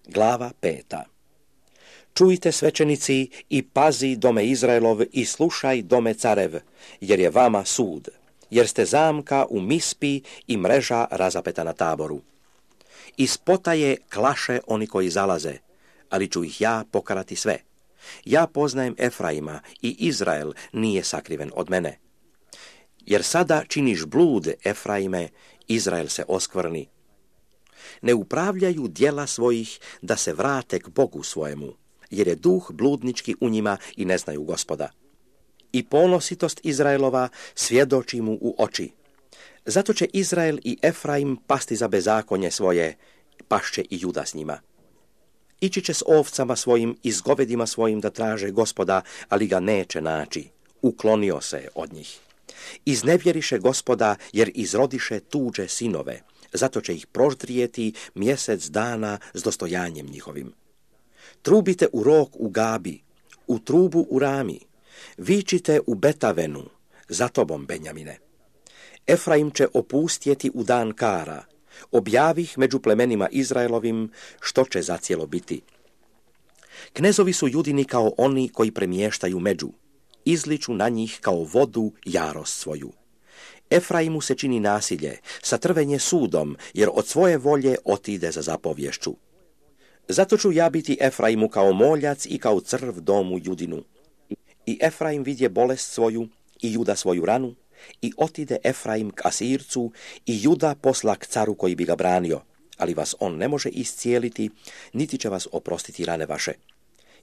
Glava 5. Čujte, svećenici, i pazi, dome Izraelov, i slušaj, dome carev, jer je vama sud, jer ste zamka u Mispi i mreža razapeta na Taboru. Iz potaje klaše oni koji zalaze, ali ću ih ja pokarati sve. Ja poznajem Efraima i Izrael nije sakriven od mene. Jer sada činiš blud, Efraime, Izrael se oskvrni. Ne upravljaju djela svojih da se vrate k Bogu svojemu, jer je duh bludnički u njima i ne znaju Gospoda. I ponositost Izraelova svjedoči mu u oči. Zato će Izrael i Efraim pasti za bezakonje svoje, pašće i Juda s njima. Ići će s ovcama svojim i s govedima svojim da traže Gospoda, ali ga neće naći. Uklonio se od njih. Iznevjeriše Gospoda, jer izrodiše tuđe sinove. Zato će ih proždrijeti mjesec dana s dostojanjem njihovim. Trubite u rog u Gabi, u trubu u Rami. Vičite u Betavenu, za tobom, Benjamine. Efraim će opustjeti u dan kara. Objavih među plemenima Izraelovim što će zacijelo biti. Knezovi su Judini kao oni koji premještaju među. Izliču na njih kao vodu jarost svoju. Efraimu se čini nasilje, satrvenje sudom, jer od svoje volje otide za zapovješću. Zato ću ja biti Efraimu kao moljac i kao crv domu Judinu. I Efraim vidje bolest svoju i Juda svoju ranu, i otide Efraim k Asircu i Juda posla k caru koji bi ga branio, ali vas on ne može iscijeliti, niti će vas oprostiti rane vaše.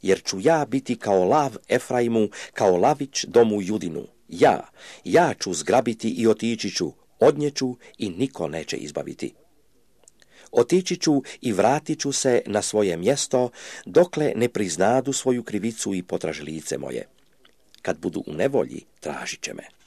Jer ću ja biti kao lav Efraimu, kao lavić domu Judinu. Ja ću zgrabiti i otići ću, odnjeću i niko neće izbaviti. Otići ću i vratit ću se na svoje mjesto, dokle ne priznadu svoju krivicu i potraže lice moje. Kad budu u nevolji, tražit će me.